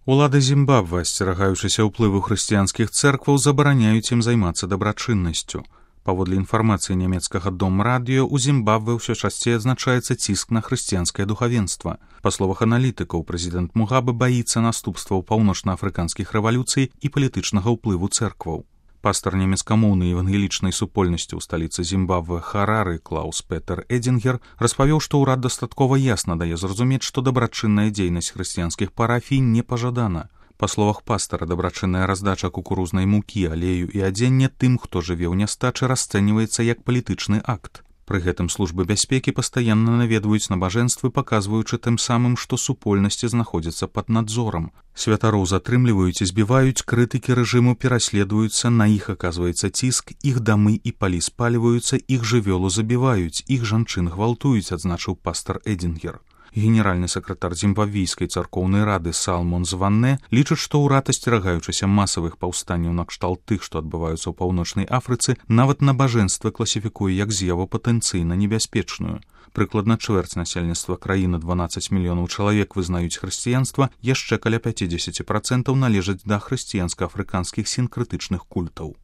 Улады Зімбабве, асцерагаючыся ўплыву хрысціянскіх цэркваў, забараняюць ім займацца дабрачыннасцю. Паводле інфармацыі нямецкага Дом-радыё, у Зімбабве ўсё часцей адзначаецца ціск на хрысціянскае духавенства. Па словах аналітыкаў, прэзідэнт Мугабе баіцца наступстваў паўночнаафрыканскіх рэвалюцый і палітычнага ўплыву цэркваў. Пастар нямецкамоўнай евангелічнай супольнасці ў сталіцы Зімбабве Харары Клаус Петер Эдзінгер распавёў, што ўрад дастаткова ясна дае зразумець, што дабрачынная дзейнасць хрысціянскіх парафій не пажадана. Па словах пастара, дабрачынная раздача кукурузнай мукі, алею і адзення тым, хто жыве ў нястачы, расцэньваецца як палітычны акт. Пры гэтым службы бяспекі пастаянна наведваюць набажэнствы, паказваючы тым самым, што супольнасці знаходзяцца пад надзорам. Святароў затрымліваюць і збіваюць, крытыкі рэжыму пераследуюцца, на іх аказваецца ціск, іх дамы і палі спальваюцца, іх жывёлу забіваюць, іх жанчын гвалтуюць, адзначыў пастар Эдзінгер. Генеральны сакратар зімбабвійскай царкоўнай рады Салмон Званне лічыць, што ўрад, асцерагаючыся масавых паўстанняў накшталт тых, што адбываюцца ў паўночнай Афрыцы, нават набажэнствы класіфікуе як з'яву патэнцыйна небяспечную. Прыкладна чвэрць насельніцтва краіны, 12 мільёнаў чалавек, вызнаюць хрысціянства, яшчэ каля 50% належаць да хрысціянска-афрыканскіх сінкрэтычных культаў.